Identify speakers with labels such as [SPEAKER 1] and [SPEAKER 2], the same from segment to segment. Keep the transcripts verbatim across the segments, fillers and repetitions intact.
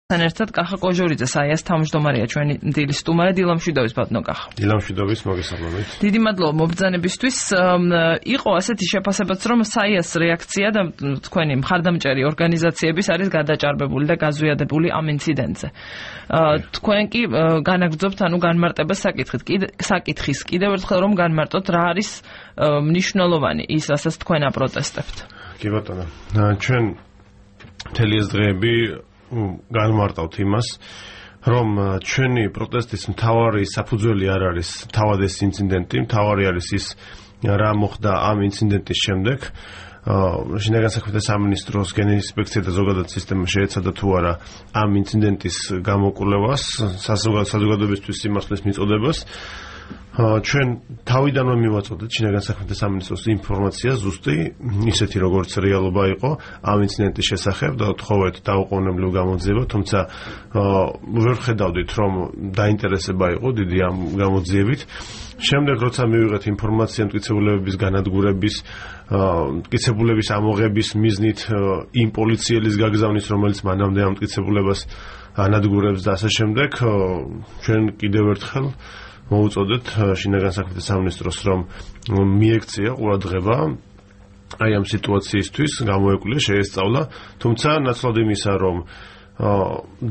[SPEAKER 1] თან ერთად კახა კოჟორიძე საიას თავმჯდომარეა ჩვენი დილის სტუმარი დილამშვიდობის ბატონო კახა.
[SPEAKER 2] დილამშვიდობის მოგესალმებით.
[SPEAKER 1] დიდი მადლობა მობრძანებისთვის. იყო ასეთი შეფასებაც რომ საიას რეაქცია და თქვენი მხარდამჭერი ორგანიზაციების არის გადაჭარბებული და გაზვიადებული ამ ინციდენტზე. თქვენ კი განაგრძობთ ანუ განმარტებას საკითხით. საკითხის კიდევ ერთხელ რომ განმარტოთ რა არის მნიშვნელოვანი ის რასაც თქვენ აპროტესტებთ.
[SPEAKER 2] კი ბატონო. ჩვენ მთელი ეს დღეები განმარტავთ იმას, რომ ჩვენი პროტესტის მთავარი საფუძველი არ არის თავად ეს ინციდენტი, მთავარი არის ის რა მოხდა ამ ინციდენტის შემდეგ. შინაგან საქმეთა სამინისტროს გენინსპექცია და ზოგადად სისტემა შეეცადა თუ არა ამ ინციდენტის გამოკვლევას, საზოგადოებისთვის სიმართლის მიწოდებას. ჩვენ თავიდანვე მივაწოდეთ შინაგან საქმეთა სამინისტროს ინფორმაცია ზუსტი ისეთი როგორც რეალობა იყო ამ ინციდენტის შესახებ და ვთხოვეთ დაუყოვნებლივ გამოძიება, თუმცა ვერ ხედავდით რომ დაინტერესება იყო დიდი ამ გამოძიებით. შემდეგ როცა მივიღეთ ინფორმაცია მტკიცებულებების განადგურების, მტკიცებულების ამოღების მიზნით იმ პოლიციელის გაგზავნის, რომელიც მანამდე ამ მტკიცებულებას ანადგურებს და ასე შემდეგ, ჩვენ კიდევ ერთხელ მოუწოდეთ შინაგან საქმეთა სამინისტროს რომ მიექცია ყურადღება აი ამ სიტუაციისთვის, გამოეკვლინა, შეესწავლა, თუმცა ნაცვლად იმისა რომ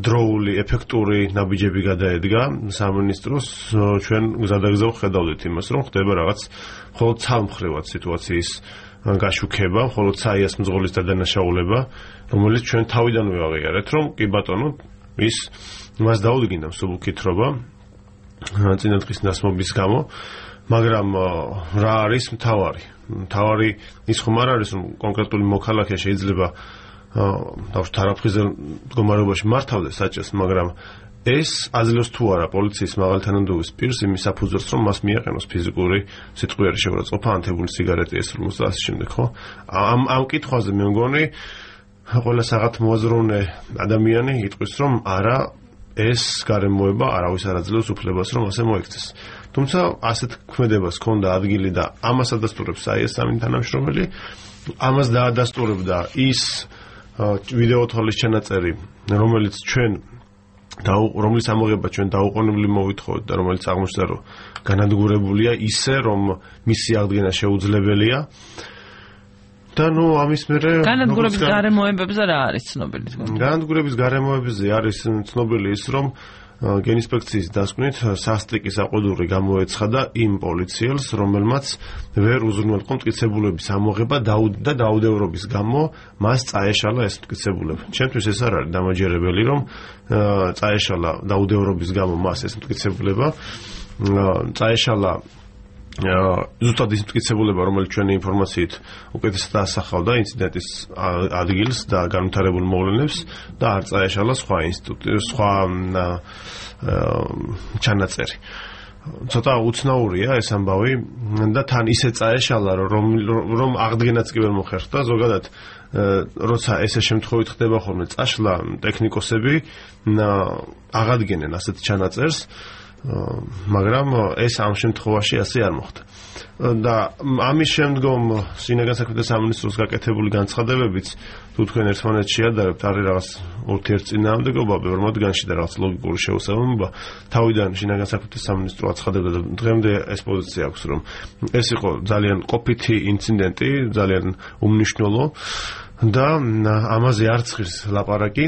[SPEAKER 2] დროული ეფექტური ნაბიჯები გადაედგა სამინისტროს, ჩვენ გზადაგზავ ხედავდით იმას რომ ხდება რაღაც მხოლოდ ცალმხრივად სიტუაციის გაშუქება, მხოლოდ საიას მძღოლის დადანაშაულება, რომელიც ჩვენ თავიდანვე ვაღიარეთ რომ კი ბატონო ის მას დაუდგინდა მსუბუქი თხრობა წინადღის დასმობის გამო, მაგრამ რა არის მთავარი? მთავარი ის ხომ არ არის რომ კონკრეტული მოქალაქე შეიძლება დავუშვათ არაფრიზელ მდგომარეობაში მართავდეს საჭეს, მაგრამ ეს აძლევს თუ არა პოლიციის მაღალი თანამდებობის პირს იმის საფუძველს რომ მას მიაყენოს ფიზიკური სიტყვიერი შეურაცხყოფა, ანთებული სიგარეტი ესრმოს და ასე შემდეგ, ხო? ამ ამ კითხვაზე მე მგონი ყველა საღათ მოაზროვნე ადამიანი იტყვის რომ არა ეს გარემოება არავის არ აძლევს უფლებას რომ ასე მოექცეს. თუმცა ასეთ ქმედებას ჰქონდა ადგილი და ამას ადასტურებს საიას სამი თანამშრომელი, ამას დაადასტურებდა ის ვიდეო თვალის ჩანაწერი, რომელიც ჩვენ რომლის ამოღება ჩვენ დაუყოვნებლივ მოვითხოვეთ და რომელიც აღმოჩნდა რომ განადგურებულია ისე რომ მისი აღდგენა შეუძლებელია. და ნუ ამის მერე
[SPEAKER 1] განადგურების გარემოებებზე რა არის ცნობილი?
[SPEAKER 2] განადგურების გარემოებებზე არის ცნობილი ის რომ გენინსპექციის დასკვნით სასტიკი საყვედური გამოეცხადა იმ პოლიციელს, რომელმაც ვერ უზრუნველყო მტკიცებულების ამოღება და დაუდევრობის გამო მას წაეშალა ეს მტკიცებულება. ჩემთვის ეს არ არის დამაჯერებელი რომ წაეშალა დაუდევრობის გამო მას ეს მტკიცებულება, წაეშალა ზუსტად ის მტკიცებულება, რომელიც ჩვენი ინფორმაციით უკეთესად ასახავდა ინციდენტის ადგილს და განვითარებულ მოვლენებს და არ წაეშალა სხვა ინსტიტუტი, სხვა ჩანაწერი. ცოტა უცნაურია ეს ამბავი და თან ისე წაეშალა რომ რომ აღდგენაც კი ვერ მოხერხდა. ზოგადად როცა ესე შემთხვევით ხდება ხოლმე წაშლა, ტექნიკოსები აღადგენენ ასეთ ჩანაწერს, მაგრამ ეს ამ შემთხვევაში ასე არ მოხდა. და ამის შემდგომ შინაგან საქმეთა სამინისტროს გაკეთებული განცხადებებიც თუ თქვენ ერთმანეთს შეადარებთ, არის რაღაც ურთიერთწინააღმდეგობა ბევრ მათგანში და რაღაც ლოგიკური შეუსაბამობა. თავიდან შინაგან საქმეთა სამინისტრო აცხადებდა და დღემდე ეს პოზიცია აქვს, რომ ეს იყო ძალიან ყოფითი ინციდენტი, ძალიან უმნიშვნელო და ამაზე არც ღირს ლაპარაკი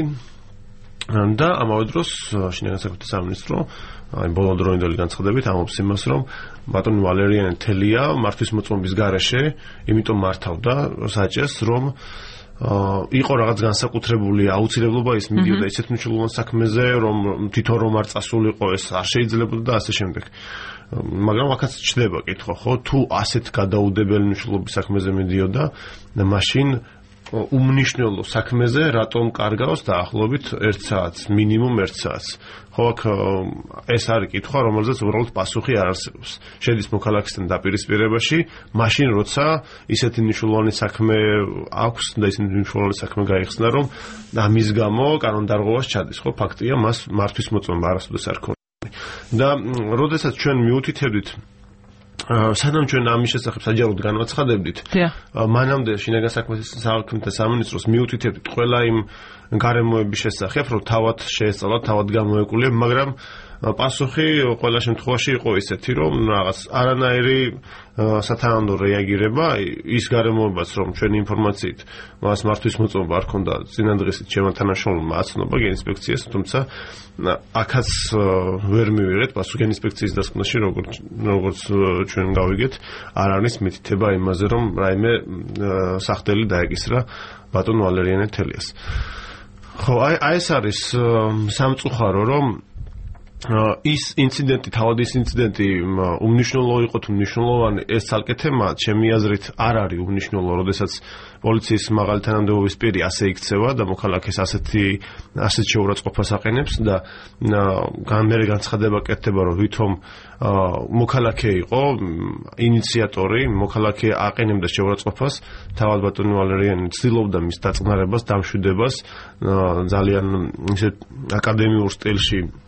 [SPEAKER 2] და ამავე დროს შინაგან საქმეთა სამინისტრო აი ბოლოდროინდელი განცხადებით ამობს იმას, რომ ბატონი ვალერიანე თელია მართვის მოწმობის გარეშე, იმიტომ მართავდა საჭეს, რომ იყო რაღაც განსაკუთრებული აუცილებლობა ის მიდიოდა ისეთ მნიშვნელოვან საქმეზე, რომ თვითონ რომ არ წასულიყო ეს არ შეიძლებოდა და ასე შემდეგ. მაგრამ აქაც ჩდება კითხვა, ხო, თუ ასეთ გადაუდებელი მნიშვნელობის საქმეზე მიდიოდა, მაშინ უმნიშვნელო საქმეზე რატომ კარგავს დაახლოებით ერთ საათს, მინიმუმ ერთ საათს. ხო, აქ ეს არის კითხვა, რომელზეც უბრალოდ პასუხი არ არსებობს. შედის მოქალაქისთან დაპირისპირებაში, მაშინ როცა ისეთი მნიშვნელოვანი საქმე აქვს და ისეთი მნიშვნელოვანი საქმე გაიხსნა, რომ ამის გამო კანონდარღვევას ჩადის, ხო, ფაქტია, მას მართვის მოწმობა არასოდეს არ ქონია. და როდესაც ჩვენ მიუთითებდით სანამ ჩვენ ამის შესახებ საჯაროდ განვაცხადებდით, მანამდე შინაგან საქმეთა სამინისტროს მიუთითებდით ყველა იმ გარემოების შესახებ, რომ თავად შეესწავლათ, თავად გამოეკვლია, მაგრამ პასუხი ყველა შემთხვევაში იყო ისეთი, რომ რაღაც არანაირი სათანადო რეაგირება ის გარემოებაც, რომ ჩვენი ინფორმაციით მას მართვის მოწმობა არ ქონდა წინადღისით ჩემმა თანამშრომელმა აცნობა გენინსპექციას, თუმცა აქაც ვერ მივიღეთ პასუხი გენინსპექციის დასკვნაში, როგორც როგორც ჩვენ გავიგეთ, არ არის მითითება იმაზე, რომ რაიმე სახდელი დაეკისრა ბატონ ვალერიანე თელიას. ხო, აი აი ეს არის სამწუხარო, რომ ის ინციდენტი, თავად ის ინციდენტი უმნიშვნელო იყო თუ მნიშვნელოვანი, ეს ცალკე თემა, ჩემი აზრით, არ არის უმნიშვნელო, როდესაც პოლიციის მაღალი თანამდებობის პირი ასე იქცევა და მოქალაქეს ასეთი ასეთ შეურაცხყოფას აყენებს და გამერე განცხადება კეთდება, რომ ვითომ მოქალაქე იყო ინიციატორი, მოქალაქე აყენებდა შეურაცხყოფას, თავად ბატონი ვალერიანი ცდილობდა მის დაწყნარებას, დამშვიდებას, ძალიან ისე აკადემიურ სტილში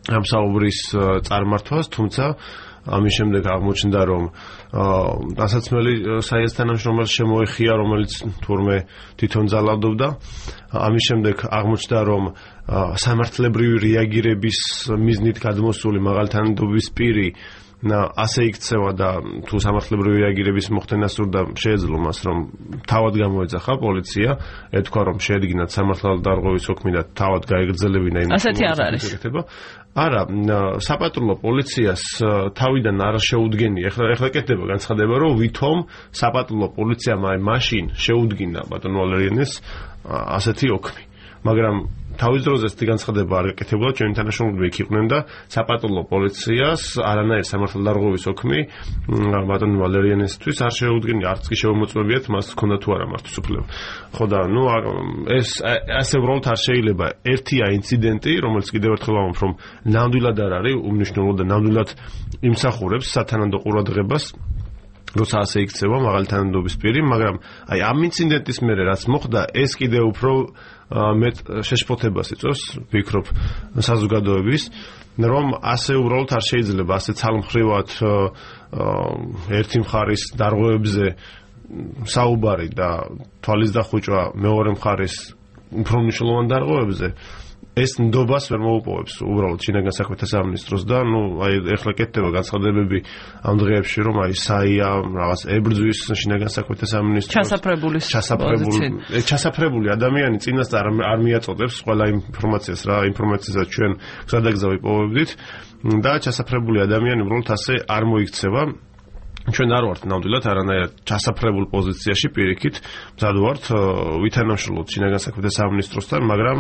[SPEAKER 2] ამ საუბრის წარმართვას, თუმცა ამის შემდეგ აღმოჩნდა, რომ დასაცმელი საიას თანამშრომელს შემოეხია, რომელიც თურმე თვითონ ძალადობდა. ამის შემდეგ აღმოჩნდა, რომ სამართლებრივი რეაგირების მიზნით გადმოსული მაღალი თანამდებობის პირი ასე იქცევა და თუ სამართლებრივი რეაგირების მოხდენა სურდა, შეეძლო მას, რომ თავად გამოეძახა პოლიცია, ეთქვა, რომ შეედგინათ სამართალდარღვევის საქმე და თავად გაეგრძელებინა იმ
[SPEAKER 1] ასეთი არ არის.
[SPEAKER 2] არა, საპატრულო პოლიციას თავიდან არ შეუდგენია. ეხლა ეხლა კეთდება განცხადება, რომ ვითომ საპატრულო პოლიციამ აი მაშინ შეუდგინა ბატონ ვალერიანეს ასეთი ოქმი. მაგრამ თავის დროზე ეს განცხადება არ გაკეთებულა, ჩვენი თანამშრომლები იქ იყვნენ და საპატრულო პოლიციას არანაირ სამართალდარღვევის ოქმი ბატონ ვალერიანესთვის არ შეუდგენია, არც კი შემოწმებიათ მას ჰქონდა თუ არა მართვის უფლება. ხო და ნუ ეს ასე უბრალოდ არ შეიძლება. ერთია ინციდენტი, რომელიც კიდევ ერთხელ ვამბობ, რომ ნამდვილად არ არის უმნიშვნელო და ნამდვილად იმსახურებს სათანადო ყურადღებას, როცა ასე იქცევა მაღალი თანამდებობის პირი, მაგრამ აი ამ ინციდენტის მერე რაც მოხდა, ეს კიდევ უფრო მეტ შეშფოთებას იწვევს, ვფიქრობ, საზოგადოების, რომ ასე უბრალოდ არ შეიძლება ასე ცალმხრივად ერთი მხარის დარღვევებზე საუბარი და თვალის დახვიჭვა მეორე მხარის უფრო მნიშვნელოვან დარღვევებზე. ეს ნდობას ვერ მოუპოვებს უბრალოდ შინაგან საქმეთა სამინისტროს და ნუ აი ეხლა კეთდება განცხადებები ამ დღეებში, რომ აი საია რაღაც ებრძვის შინაგან საქმეთა სამინისტროს
[SPEAKER 1] ჩასაფრებული
[SPEAKER 2] ჩასაფრებული ჩასაფრებული ადამიანი წინასწარ არ მიაწოდებს ყველა ინფორმაციას, რა ინფორმაციასაც ჩვენ გზადაგზა ვიპოვებდით და ჩასაფრებული ადამიანი უბრალოდ ასე არ მოიქცევა. ჩვენ არ ვართ ნამდვილად არანაირად ჩასაფრებულ პოზიციაში პირიქით, მზად ვართ ვითანამშრომლოთ შინაგან საქმეთა სამინისტროსთან, მაგრამ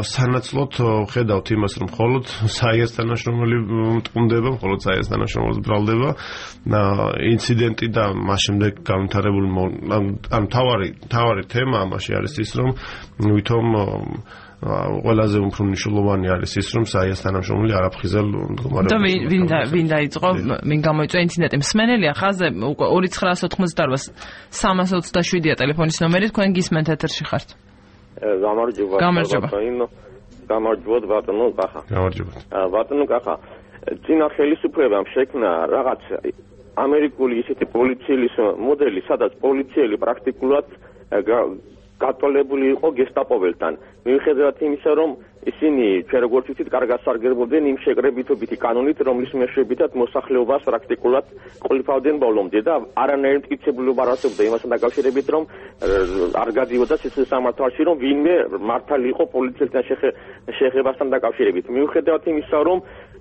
[SPEAKER 2] სანაცვლოდ ხედავთ იმას, რომ მხოლოდ საიას თანამშრომელი მტყუნდება, მხოლოდ საიას თანამშრომელს ბრალდება ინციდენტი და მას შემდეგ განვითარებული ან თავარი თავარი თემა ამაში არის ის, რომ ვითომ ყველაზე უფრო მნიშვნელოვანი არის ის, რომ საიას თანამშრომელი არ აფხიზელ მდგომარეობაში.
[SPEAKER 1] და ვინ ვინ დაიწყო, ვინ გამოიწვია ინციდენტი? მსმენელია ხაზზე ორი ცხრაას ოთხმოცდაოთხ სამას ოცდაშვიდია ტელეფონის ნომერი, თქვენ გისმენთ ეთერში ხართ.
[SPEAKER 3] გამარჯობა.
[SPEAKER 1] გამარჯობა.
[SPEAKER 3] გამარჯობა ბატონო კახა.
[SPEAKER 2] გამარჯობა.
[SPEAKER 3] ბატონო კახა, წინა ხელისუფლებამ შექმნა რაღაც ამერიკული ისეთი პოლიციის მოდელი, სადაც პოლიციელი პრაქტიკულად გატოლებული იყო გესტაპოველთან. მიუხედავად იმისა, რომ ისინი ჩვენ როგორც ვიცით, კარგად სარგებლობდნენ იმ შეკრებითობითი კანონით, რომლის მეშვეობითაც მოსახლეობას პრაქტიკულად ყოლიფავდნენ ბოლომდე და არანაირი მტკიცებულობა არ არსებობდა იმასთან დაკავშირებით, რომ არ გადიოდა სიცოცხლის სამართალში, რომ ვინმე მართალი იყო პოლიციელთან შეხებასთან დაკავშირებით. მიუხედავად იმისა, რომ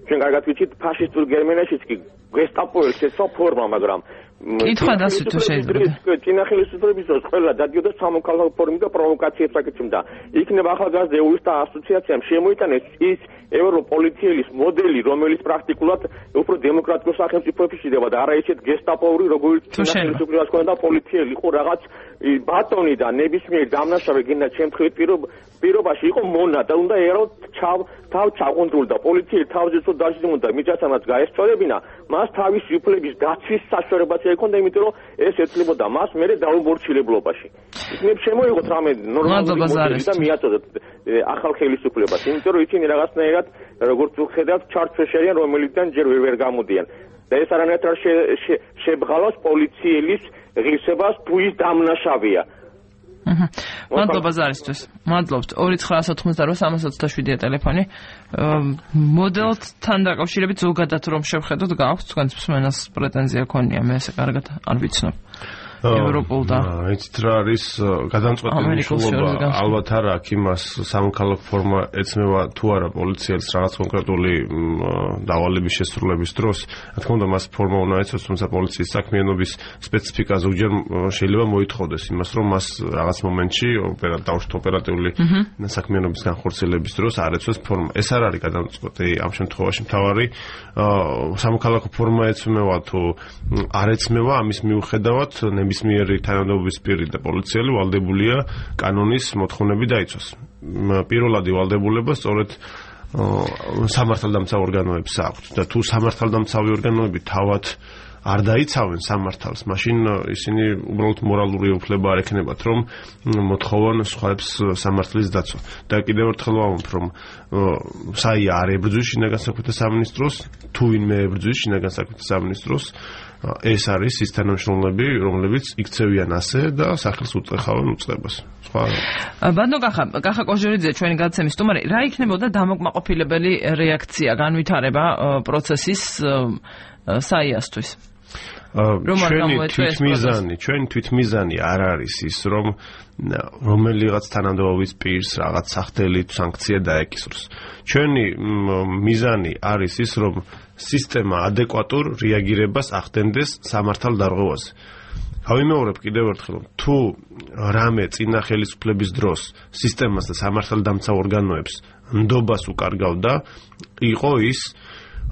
[SPEAKER 3] ჩვენ კარგად ვიცით, ფაშისტურ გერმანიაშიც კი გესტაპოველს ეცვა ფორმა, მაგრამ
[SPEAKER 1] კითხვა დასვით შეიძლება.
[SPEAKER 3] წინა ხელისუფლების დროს ყველა დადიოდა სამოქალაქო ფორმით და პროვოკაციებს აკეთებდა. იქნება ახალგაზრდა ეურისტთა ასოციაციამ შემოიტანეს ის ევროპოლიციის მოდელი, რომელიც პრაქტიკულად უფრო დემოკრატიულ სახელმწიფოებში შეიძლება და არა ისეთ გესტაპოვური, როგორც წინა ხელისუფლებას ჰქონდა პოლიციელი იყო რაღაც ბატონი და ნებისმიერ დამნაშავე გინდა შემთხვევით პირობაში იყო მონა და უნდა ერო ჩავ თავ ჩაყუნდრულ და პოლიციის თავზე თუ დაჟინდა მიწასამაც გაესწორებინა, მას თავისი უფლების დაცვის საშუალებაც ექონდა, იმიტომ რომ ეს ეცლებოდა მას მერე დაუმორჩილებულობაში. იქნებ შემოიღოთ რამე ნორმალური მოდელი და მიაწოდოთ ახალ ხელისუფლებას, იმიტომ რომ ისინი რაღაცნაირად როგორც ვხედავთ ჩარჩვეშ არიან, რომელიდან ჯერ ვერ გამოდიან. და ეს არანაირად არ შებღალავს პოლიციელის ღირსებას თუ ის დამნაშავეა.
[SPEAKER 1] მადლობა ზარისთვის. მადლობთ. ორი ცხრა ათი ოთხმოცდაოთხ სამას ოცდაშვიდია ტელეფონი. მოდელთან დაკავშირებით ზოგადად რომ შევხედოთ, გააქვს თქვენს მსმენელს პრეტენზია ქონია, მე ესე კარგად არ ვიცნობ. ევროპულ და
[SPEAKER 2] იცით რა არის გადამწყვეტი მნიშვნელობა ალბათ არა აქ იმას სამოქალაქო ფორმა ეცნობა თუ არა პოლიციელს რაღაც კონკრეტული დავალების შესრულების დროს რა თქმა უნდა მას ფორმა უნდა ეცოს თუმცა პოლიციის საქმიანობის სპეციფიკა ზოგჯერ შეიძლება მოითხოვდეს იმას რომ მას რაღაც მომენტში დაუშვათ ოპერატიული საქმიანობის განხორციელების დროს არ ეცოს ფორმა ეს არ არის გადამწყვეტი ამ შემთხვევაში მთავარი სამოქალაქო ფორმა ეცნობა თუ არ ეცნობა ამის მიუხედავად ნებისმიერი თანამდებობის პირი და პოლიციელი ვალდებულია კანონის მოთხოვნები დაიცვას. პირველად ვალდებულება სწორედ სამართალდამცავ ორგანოებს აქვთ და თუ სამართალდამცავი ორგანოები თავად არ დაიცავენ სამართალს, მაშინ ისინი უბრალოდ მორალური უფლება არ ექნებათ, რომ მოთხოვონ სხვაებს სამართლის დაცვა. და კიდევ ერთხელ ვამბობ, რომ საია არ ებრძვის შინაგან საქმეთა სამინისტროს, თუ ვინმე ებრძვის შინაგან საქმეთა სამინისტროს, ეს არის ის თანამშრომლები, რომლებიც იქცევიან ასე და სახელს უწეხავენ უწყებას. სხვა
[SPEAKER 1] ბანდო კახა, კახა კოჟორიძე ჩვენი გადაცემის სტუმარი, რა იქნებოდა დამოკმაყოფილებელი რეაქცია, განვითარება პროცესის საიასთვის?
[SPEAKER 2] ჩვენი თვითმიზანი, ჩვენი თვითმიზანი არ არის ის, რომ რომელიღაც თანამდებობის პირს რაღაც სახდელი სანქცია დაეკისროს. ჩვენი მიზანი არის ის, რომ სისტემა ადეკვატურ რეაგირებას ახდენდეს სამართალ დარღვევაზე. გავიმეორებ კიდევ ერთხელ, თუ რამე წინა ხელისუფლების დროს სისტემას და სამართალდამცავ ორგანოებს ნდობას უკარგავდა, იყო ის,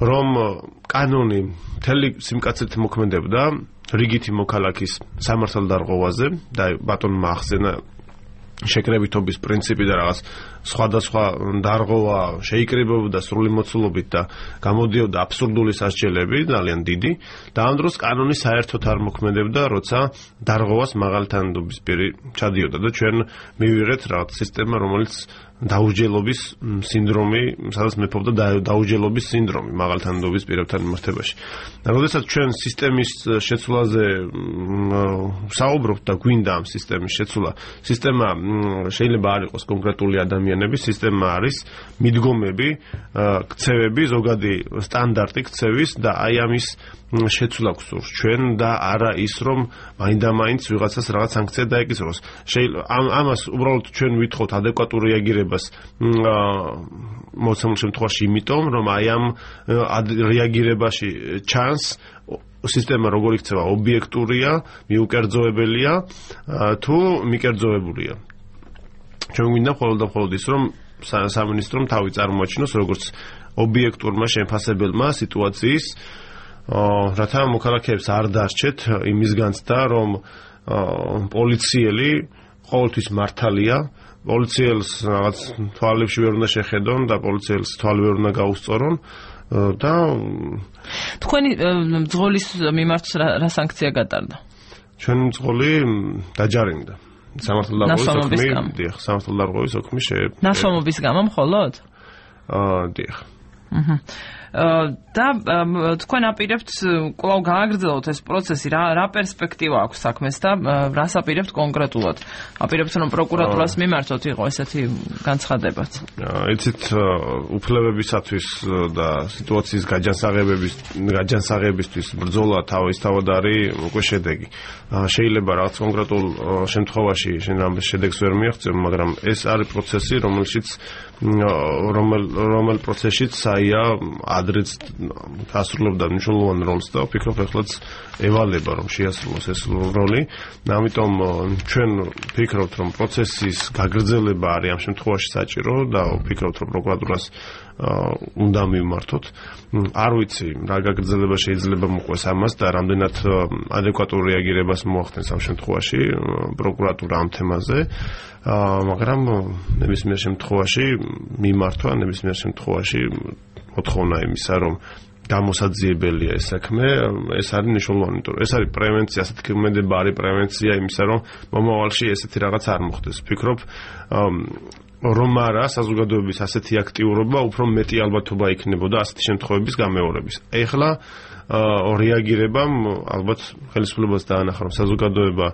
[SPEAKER 2] რომ კანონი მთელი სიმკაცრით მოქმედებდა რიგითი მოქალაქის სამართალ დარღვევაზე და ბატონმა ახსენა შეკრებითობის პრინციპი და რაღაც სხვადასხვა დარღვევა შეიკრიბებოდა სრული მოცულობით და გამოდიოდა აბსურდული სასჯელები ძალიან დიდი და ამ დროს კანონი საერთოდ არ მოქმედებდა, როცა დარღვევას მაღალი თანამდებობის პირი ჩადიოდა და ჩვენ მივიღეთ რაღაც სისტემა, რომელიც დაუსჯელობის სინდრომი, სადაც მეფობდა დაუსჯელობის სინდრომი მაღალი თანამდებობის პირებთან მიმართებაში. და როდესაც ჩვენ სისტემის შეცვლაზე საუბრობთ და გვინდა ამ სისტემის შეცვლა, სისტემა შეიძლება არ იყოს კონკრეტული ადამიანები, სისტემა არის მიდგომები, ქცევები, ზოგადი სტანდარტი ქცევის და აი ამის შეცვლა გვსურს ჩვენ და არა ის რომ მაინდა-მაინც ვიღაცას რაღაც სანქცია დაეკისროს. ამას უბრალოდ ჩვენ ვითხოვთ ადეკვატურ რეაგირებას მოცემულ შემთხვევაში იმიტომ რომ აი ამ რეაგირებაში ჩანს სისტემა როგორ იქცევა ობიექტურია, მიუკერძოებელია თუ მიკერძოებულია. ჩვენ გვინდა მხოლოდ და მხოლოდ ის რომ სამინისტრომ თავი წარმოაჩინოს როგორც ობიექტურმა შეფასებელმა სიტუაციის რათა მოქალაქეებს არ დასჭეთ იმის განცდა რომ პოლიციელი ყოველთვის მართალია, პოლიციელს რაღაც თვალებში ვერ უნდა შეხედონ და პოლიციელს თვალი ვერ უნდა გაუსწორონ და
[SPEAKER 1] თქვენი მძღოლის მიმართ რა სანქცია გატარდა?
[SPEAKER 2] ჩვენი მძღოლი დაჯარიმდა. სამართალდარღვევის ოქმი, დიახ, სამართალდარღვევის ოქმი შე.
[SPEAKER 1] ნასვამობის გამო მხოლოდ?
[SPEAKER 2] აა, დიახ.
[SPEAKER 1] აჰა. და თქვენ აპირებთ კვლავ გააგრძელოთ ეს პროცესი, რა რა პერსპექტივა აქვს საქმეს და რას აპირებთ კონკრეტულად? აპირებთ რომ პროკურატურას მიმართოთ იყო ესეთი განცხადებაც?
[SPEAKER 2] იცით, უფლებებისათვის და სიტუაციის გაჯანსაღებების გაჯანსაღებისთვის ბრძოლა თავისთავად არის უკვე შედეგი. შეიძლება რაღაც კონკრეტულ შემთხვევაში შენ ამ შედეგს ვერ მიაღწევ, მაგრამ ეს არის პროცესი, რომელშიც რომელ რომელ პროცესშიც საია ადრეც ასრულებდა მნიშვნელოვან როლს და ვფიქრობ ახლაც ევალება რომ შეასრულოს ეს როლი. ამიტომ ჩვენ ვფიქრობთ რომ პროცესის გაგრძელება არის ამ შემთხვევაში საჭირო და ვფიქრობთ რომ პროკურატურას უნდა მივმართოთ. არ ვიცი რა გაგრძელება შეიძლება მოყვეს ამას და რამდენად ადეკვატურ რეაგირებას მოახდენს ამ შემთხვევაში პროკურატურა ამ თემაზე. მაგრამ ნებისმიერ შემთხვევაში მიმართვა, ნებისმიერ შემთხვევაში მოთხოვნა იმისა, რომ გამოსაძიებელია ეს საქმე, ეს არის მნიშვნელოვანი, იმიტომ რომ ეს არის პრევენცია, ასეთი ქმედება არის პრევენცია იმისა, რომ მომავალში ესეთი რაღაც არ მოხდეს. ვფიქრობ, რომ არა საზოგადოების ასეთი აქტიურობა უფრო მეტი ალბათობა იქნებოდა ასეთი შემთხვევების გამეორების. ეხლა რეაგირებამ ალბათ ხელისუფლებას დაანახა რომ საზოგადოება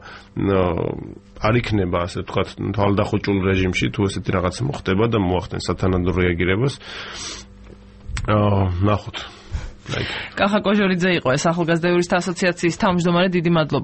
[SPEAKER 2] არ იქნება ასე ვთქვათ თვალდახუჭულ რეჟიმში თუ ესეთი რაღაც მოხდება და მოახდენს სათანადო რეაგირებას. აა ნახოთ.
[SPEAKER 1] კახა კოჟორიძე იყო ეს ახალგაზრდა იურისტთა ასოციაციის თავმჯდომარე, დიდი მადლობა.